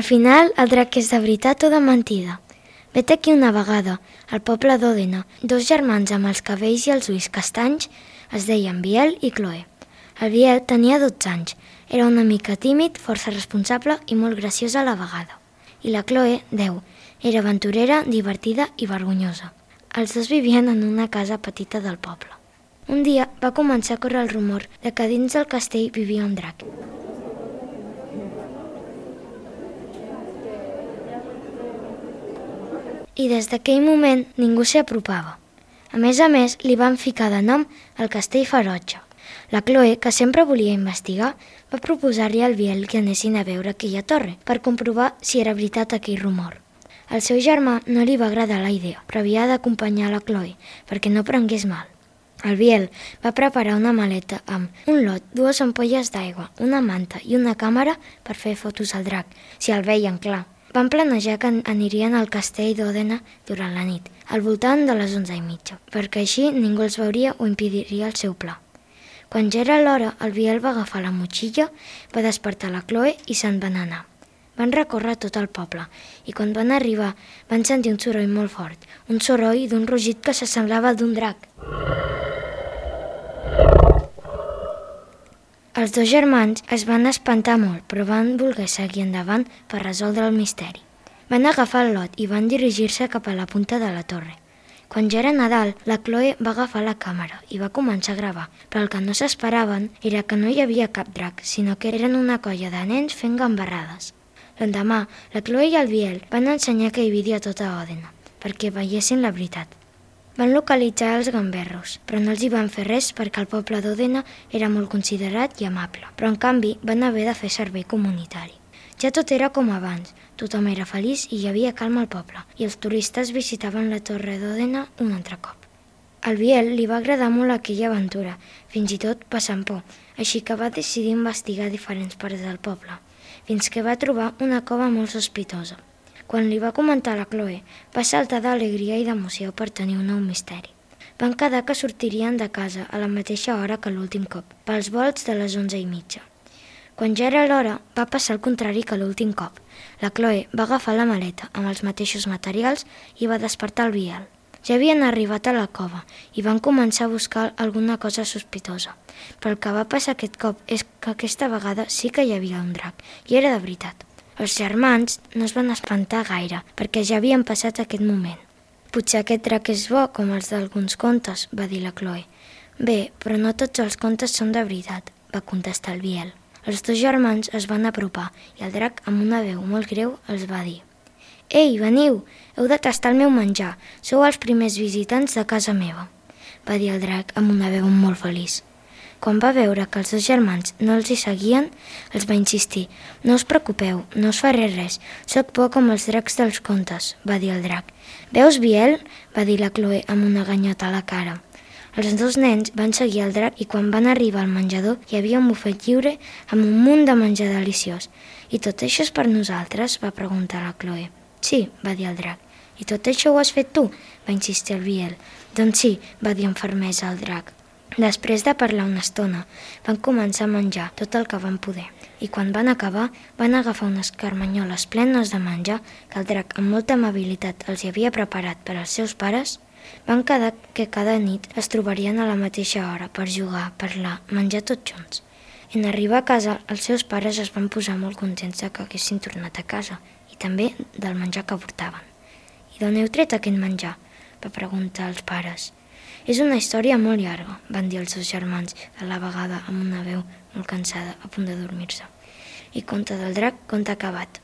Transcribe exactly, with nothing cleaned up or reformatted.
Al final, el drac és de veritat o de mentida? Vet aquí una vegada, al poble d'Òdena, dos germans amb els cabells i els ulls castanys es deien Biel i Chloe. El Biel tenia dotze anys, era una mica tímid, força responsable i molt graciós a la vegada. I la Chloe, deu, era aventurera, divertida i vergonyosa. Els dos vivien en una casa petita del poble. Un dia va començar a córrer el rumor de que dins del castell vivia un drac. I des d'aquell moment ningú s'hi apropava. A més a més, li van ficar de nom el Castell Ferotge. La Chloe, que sempre volia investigar, va proposar-li al Biel que anessin a veure aquella torre per comprovar si era veritat aquell rumor. Al seu germà no li va agradar la idea, però havia d'acompanyar la Chloe perquè no prengués mal. El Biel va preparar una maleta amb un lot, dues ampolles d'aigua, una manta i una càmera per fer fotos al drac, si el veien clar. Van planejar que anirien al castell d'Òdena durant la nit, al voltant de les onze i mitja, perquè així ningú els veuria o impediria el seu pla. Quan ja era l'hora, el Biel va agafar la motxilla, va despertar la Chloe i se'n van anar. Van recórrer tot el poble i quan van arribar van sentir un soroll molt fort, un soroll d'un rugit que s'assemblava al d'un drac. Els dos germans es van espantar molt, però van voler seguir endavant per resoldre el misteri. Van agafar el lot i van dirigir-se cap a la punta de la torre. Quan ja era Nadal, la Chloe va agafar la càmera i va començar a gravar, però el que no s'esperaven era que no hi havia cap drac, sinó que eren una colla de nens fent gambarrades. L'endemà, la Chloe i el Biel van ensenyar que hi havia tota Òdena, perquè veiessin la veritat. Van localitzar els gamberros, però no els hi van fer res perquè el poble d'Òdena era molt considerat i amable, però en canvi van haver de fer servei comunitari. Ja tot era com abans, tothom era feliç i hi havia calma al poble, i els turistes visitaven la torre d'Òdena un altre cop. Al Biel li va agradar molt aquella aventura, fins i tot passant por, així que va decidir investigar diferents parts del poble, fins que va trobar una cova molt sospitosa. Quan li va comentar a la Chloe, va saltar d'alegria i d'emoció per tenir un nou misteri. Van quedar que sortirien de casa a la mateixa hora que l'últim cop, pels volts de les onze i mitja. Quan ja era l'hora, va passar el contrari que l'últim cop. La Chloe va agafar la maleta amb els mateixos materials i va despertar el Biel. Ja havien arribat a la cova i van començar a buscar alguna cosa sospitosa. Però el que va passar aquest cop és que aquesta vegada sí que hi havia un drac, i era de veritat. Els germans no es van espantar gaire, perquè ja havien passat aquest moment. «Potser aquest drac és bo, com els d'alguns contes», va dir la Chloe. «Bé, però no tots els contes són de veritat», va contestar el Biel. Els dos germans es van apropar i el drac, amb una veu molt greu, els va dir: «Ei, veniu! Heu de tastar el meu menjar. Sou els primers visitants de casa meva», va dir el drac amb una veu molt feliç. Quan va veure que els dos germans no els hi seguien, els va insistir: «No us preocupeu, no us faré res, soc por com els dracs dels contes», va dir el drac. «Veus, Biel?», va dir la Chloe amb una ganyota a la cara. Els dos nens van seguir el drac i quan van arribar al menjador hi havia un bufet lliure amb un munt de menjar deliciós. «I tot això és per nosaltres?», va preguntar la Chloe. «Sí», va dir el drac. «I tot això ho has fet tu?», va insistir el Biel. «Doncs sí», va dir amb fermesa el drac. Després de parlar una estona, van començar a menjar tot el que van poder. I quan van acabar, van agafar unes carmanyoles plenes de menjar que el drac, amb molta amabilitat, els hi havia preparat per als seus pares. Van quedar que cada nit es trobarien a la mateixa hora per jugar, parlar, menjar tots junts. En arribar a casa, els seus pares es van posar molt contents que haguessin tornat a casa i també del menjar que portaven. «I d'on heu tret aquest menjar?», va preguntar als pares. «És una història molt llarga», van dir els dos germans, a la vegada amb una veu molt cansada, a punt de dormir-se. I conte del drac, conte acabat.